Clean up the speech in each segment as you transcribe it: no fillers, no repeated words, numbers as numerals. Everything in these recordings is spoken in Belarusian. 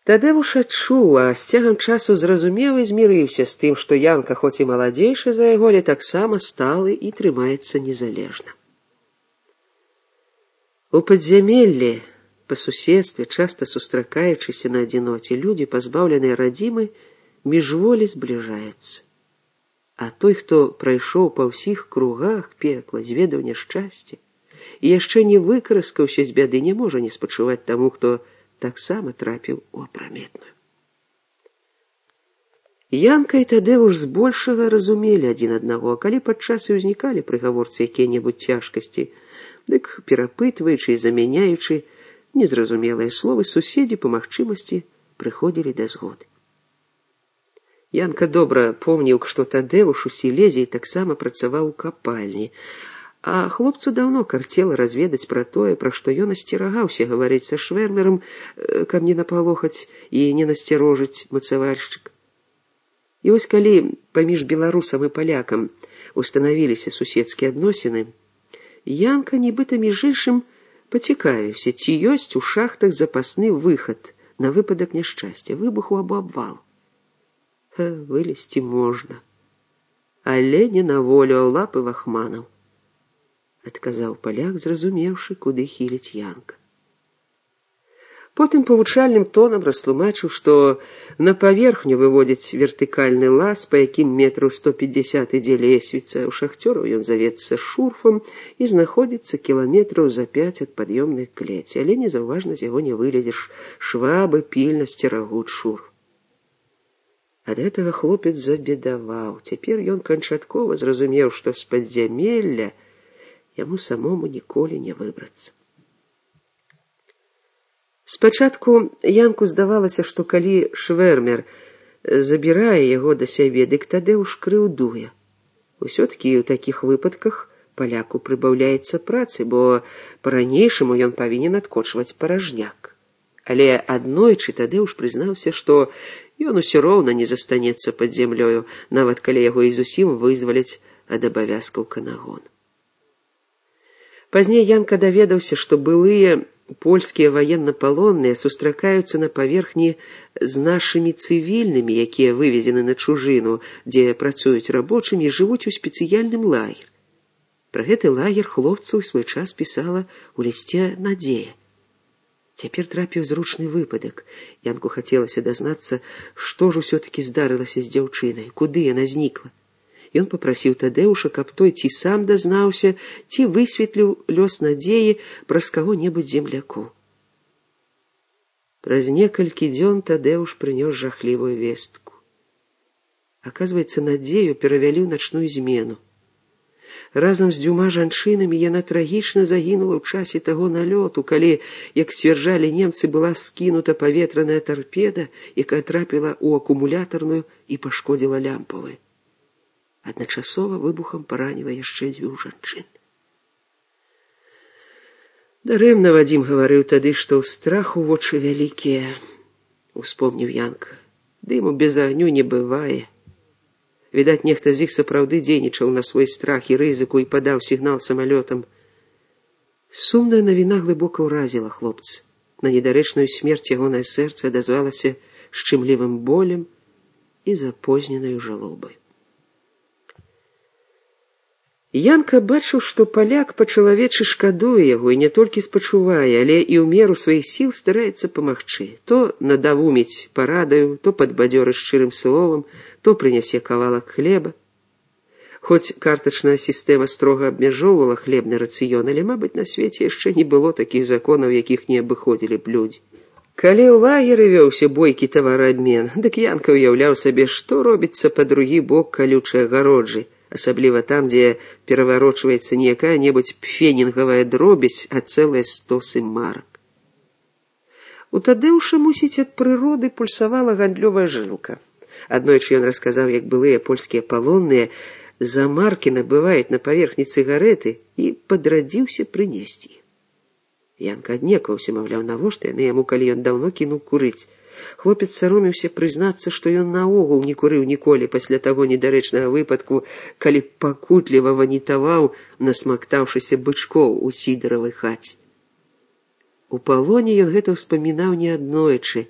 Тадеуш адчуў, а з цягам часу зразумеў і змірыўся з тым, што Янка, хоць і маладзейшы за яго, але таксама сталы і трымаецца незалежна. У падзямеллі, па суседстве, часта сустракаючыся на адзіноце, людзі, пазбаўленыя радзімы, міжволі збліжаюцца. А той, хто прайшоў па ўсіх кругах пекла, зведаў няшчасце і яшчэ не выкараскаўся з бяды, не можа не спачуваць таму, хто таксама трапіў у апраметную. Янка і Тадеуш збольшага разумелі адзін аднаго, а калі падчас і ўзнікалі пры гаворцы якія-небудзь цяжкасці, дык, перапытваючы і замяняючы незразумелыя словы, суседзі па магчымасці прыходзілі да згоды. Янка добра помніў, што Тадеуш у Сілезіі таксама працаваў у капальні, а хлопцу даўно карцела разведаць пра тое, пра што ён асцерагаўся гаварыць са швэрмерам, каб не напалохаць і не насцярожыць мацавальшчык. І вось калі паміж беларусам і палякам устанавіліся суседскія адносіны, Янка нібыта між іншым пацікавіўся, ці ёсць у шахтах запасны выхад на выпадак няшчасця, выбуху або абвалу. Вылезці можна, але не на волю, а ў лапы вахманаў, адказаў паляк, зразумеўшы, куды хіліць Янка. Потым павучальным тонам растлумачыў, што на паверхню выводзіць вертыкальны лаз, па якім метраў 150 ідзе лесвіца. У шахцёраў ён завецца шурфам і знаходзіцца кіламетраў за 5 ад пад'ёмнай клеці, але незаўважна з яго не вылезеш, швабы пільна сцерагуць шурф. Ад гэтага хлопец забедаваў. Цяпер ён канчаткова зразумеў, што з падзямелля яму самому ніколі не выбрацца. Спачатку Янку здавалася, што калі швэрмер забірае яго да сябе, дык Тадеуш крыўдуе. Усё-такі ў такіх выпадках паляку прыбаўляецца працы, бо па-ранейшаму ён павінен адкочваць паражняк. Але аднойчы Тадеуш прызнаўся, што ён усё роўна не застанецца пад зямлёю, нават калі яго і зусім вызваляць ад абавязкаў канагона. Пазней Янка даведаўся, што былыя польскія ваеннапалонныя сустракаюцца на паверхні з нашымі цывільнымі, якія вывезены на чужыну, дзе працуюць рабочымі, жывуць у спецыяльным лагер. Пра гэты лагер хлопцу ў свой час пісала ў лісце Надзея. Цяпер трапіў зручны выпадак. Янку хацелася дазнацца, што ж усё-такі здарылася з дзяўчынай, куды яна знікла. Ён папрасіў Тадеуша, каб той ці сам дазнаўся, ці высветліў лёс Надзеі праз каго-небудзь землякоў. Праз некалькі дзён Тадеуш прынёс жахлівую вестку. Аказваецца, Надзею перавялі ў начную змену. Разам з 2 жанчынамі яна трагічна загінула ў часе таго налёту, калі, як сцвярджалі немцы, была скінута паветраная тарпеда, якая трапіла ў акумулятарную і пашкодзіла лямпавую. Адначасова выбухам параніла яшчэ 2 жанчын. Дарэмна Вадзім гаварыў тады, што ў страху вочы вялікія, успомніў Янка. Дыму без агню не бывае. Відаць, нехта з іх сапраўды дзейнічаў на свой страх і рызыку і падаў сігнал самалётам. Сумная навіна глыбока ўразіла хлопца. На недарэчную смерць ягонае сэрца адазвалася шчымлівым болем і запозненаю жалобай. Янка бачыў, што паляк па-чалавечы шкадуе яго і не толькі спачувае, але і ў меру сваіх сіл стараецца памагчы. То надавуміць парадаю, то падбадзёрыць шчырым словам, то прынясе кавалак хлеба. Хоць картачная сістэма строга абмяжоўвала хлебны рацыён, але, мабыць, на свеце яшчэ не было такіх законаў, якіх не абыходзілі б людзі. Калі ў лагеры вёўся бойкі тавараабмен, дык Янка ўяўляў сабе, што робіцца па другі бок калючай агароджы, асабліва там, дзе пераварочваецца не якая-небудзь пфенінгавая дробязь, а цэлыя стосы марак. У Тадеуша, мусіць, ад прыроды пульсавала гандлёвая жылка. Аднойчы ён расказаў, як былыя польскія палонныя за маркі набываюць на паверхні цыгарэты, і падрадзіўся прынесці. Янка аднекаўся, маўляў, навошта яны яму, калі ён даўно кінуў курыць. Хлопец саромеўся прызнацца, што ён наогул не курыў ніколі пасля таго недарэчнага выпадку, калі пакутліва ванітаваў, насмактаўшыся бычкоў у сідаравай хаце. У палоне ён гэта ўспамінаў неаднойчы,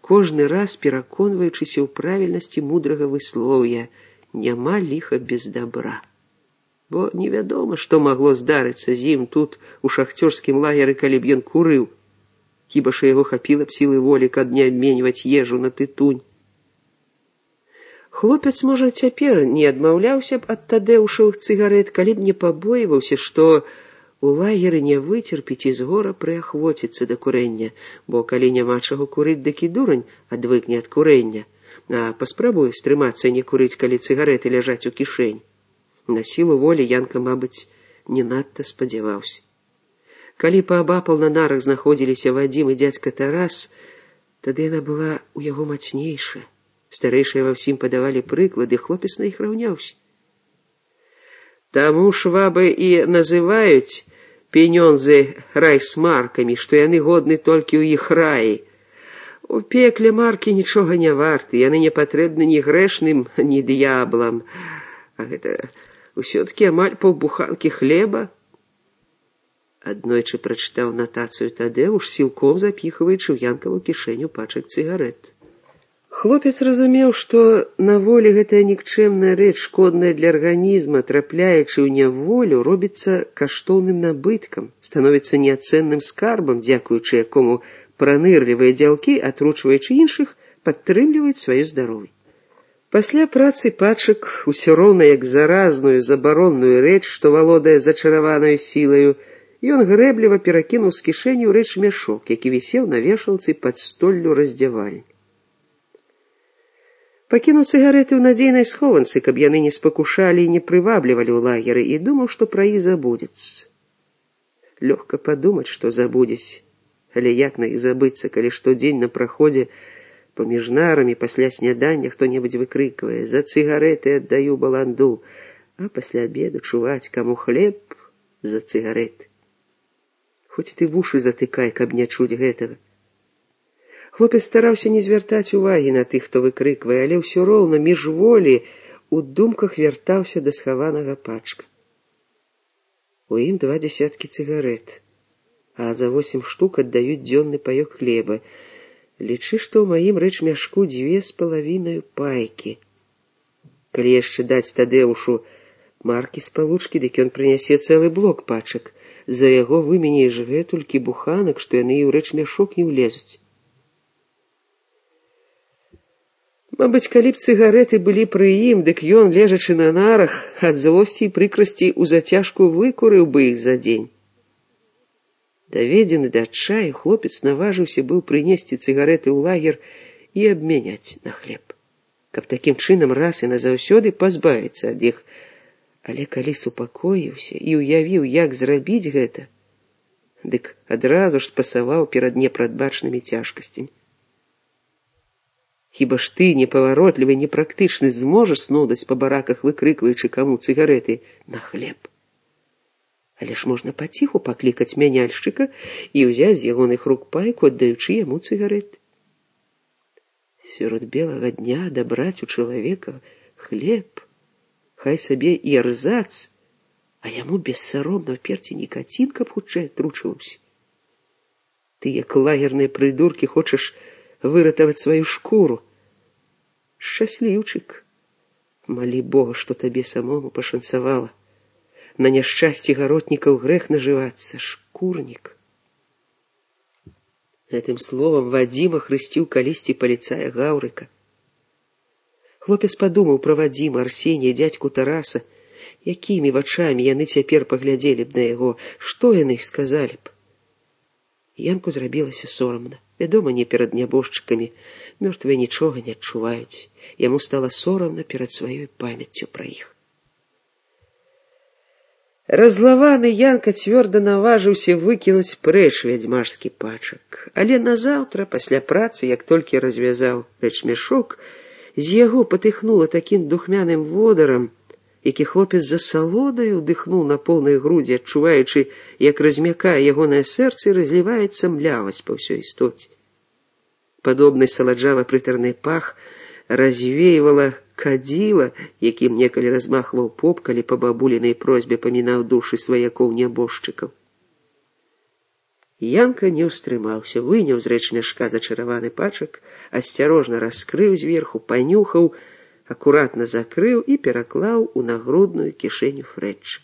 кожны раз пераконваючыся ў правільнасці мудрага выслоўя «няма ліха без добра». Бо невядома, што магло здарыцца з ім тут, у шахцёрскім лагеры, калі б ён курыў. Хіба ж яго хапіла б сілы волі, каб не абменьваць ежу на тытунь. Хлопец, можа, цяпер не адмаўляўся б ад тадэўшавых цыгарэт, калі б не пабойваўся, што у лагеры не выцерпіць і з гора прыахвоціцца да курэння, бо калі няма чаго курыць, дык і дурань адвыкне ад курэння, а паспрабуе стрымацца не курыць, калі цыгарэты ляжаць у кішэні. На сілу волі Янка, мабыць, не надта спадзяваўся. Калі паабапал на нарах знаходзіліся Вадзім і дзядзька Тарас, тады яна была ў яго мацнейшая. Старэйшыя ва ўсім падавалі прыклады, хлопец на іх раўняўся. Таму швабы і называюць пенёнзы райсмаркамі, што яны годны толькі ў іх раі. У пекле маркі нічога не варты, яны не патрэбны ні грэшным, ні д'яблам. А гэта ўсё-ткі амаль паўбуханкі хлеба. Аднойчы прачытаў натацыю Тадэуш, сілком запіхваючы ў Янкаву кішэню пачак цыгарэт. Хлопец разумеў, што на волі гэтая нікчэмная рэч, шкодная для арганізма, трапляючы ў няволю, робіцца каштоўным набыткам, становіцца неацэнным скарбам, дзякуючы якому пранырлівыя дзялкі, атручваючы іншых, падтрымліваюць сваё здароўе. Пасля працы пачак, усё роўна як заразную, забаронную рэч, што валодае зачараванаю сілаю, ён грэбліва перакінуў з кішэні ў рэчмяшок, які вісеў на вешалцы пад столлю раздзявальні. Пакінуў цыгарэты ў надзейнай схованцы, каб яны не спакушалі і не прываблівалі ў лагеры, і думаў, што пра іх забудзецца. Лёгка падумаць, што забудзесь, але як на іх забыцца, калі штодзень на праходзе паміж нарамі пасля снядання хто-небудзь выкрыквае «За цыгарэты аддаю баланду», а пасля абеду чуваць, каму хлеб за цыгарэты. Хоць ты вушы затыкай, каб не чуць гэтага. Хлопец стараўся не звяртаць увагі на тых, хто выкрыквае, але ўсё роўна міжволі у думках вяртаўся да схаванага пачка. У ім 2 дзясяткі цыгарэт, а за 8 штук аддаюць дзённы паёк хлеба. Лічы, што ў маім рэчмяшку 2,5 пайкі. Калі яшчэ даць Тадэушу маркі спалучкі, дык ён прынясе цэлы блок пачак. За яго выменяеш гэтулькі буханак, што яны і ў рэчмяшок не ўлезуць. Мабыць, калі б цыгарэты былі пры ім, дык ён, лежачы на нарах, ад злосці і прыкрасці ў зацяжку выкурыў бы іх за дзень. Даведзены да адчаю, хлопец наважыўся быў прынесці цыгарэты ў лагер і абмяняць на хлеб, каб такім чынам раз і назаўсёды пазбавіцца ад іх. Але калі супакоіўся і ўявіў, як зрабіць гэта, дык адразу ж спасаваў перад непрадбачнымі цяжкасцямі. Хіба ж ты, непаваротлівы, непрактычны, зможаш снодаць па бараках, выкрыкваючы каму цыгарэты на хлеб? Але ж можна паціху паклікаць мяняльшчыка і ўзяць з ягоных рук пайку, аддаючы яму цыгарэты. Сярод белага дня дабраць у чалавека хлеб, хай сабе і эрзац, а яму бессаромна ўперці нікацін, каб хутчэй атручваўся. Ты, як лагерныя прыдуркі, хочаш выратаваць сваю шкуру. Шчасліўчык. Малі Бога, што табе самому пашанцавала. На няшчасці гаротнікаў грэх нажывацца, шкурнік. Гэтым словам Вадзіма хрысціў калісьці паліцая Гаўрыка. Хлопец падумаў пра Вадзіма, Арсенія, дзядзьку Тараса, якімі вачамі яны цяпер паглядзелі б на яго, што яны іх сказалі б. Янку зрабілася сорамна. Вядома, не перад нябожчыкамі. Мёртвыя нічога не адчуваюць. Яму стала сорамна перад сваёй памяццю пра іх. Разлаваны Янка цвёрда наважыўся выкінуць прэч вядзьмарскі пачак. Але назаўтра, пасля працы, як толькі развязаў рэчмяшок, з яго патыхнула такім духмяным водарам, які хлопец за салодаю ўдыхнуў на поўнай грудзі, адчуваючы, як размякае ягонае сэрца і разліваецца млявасць па ўсёй істоце. Падобны саладжава-прытарны пах развеивала кадзіла, якім некалі размахваў поп, калі па бабулінай просьбе памінаў душы сваякоў нябожчыкаў. Янка не ўстрымаўся, выняў з рэчмяшка зачараваны пачак, асцярожна раскрыў зверху, панюхаў, акуратна закрыў і пераклаў у нагрудную кішэню Фрэтча.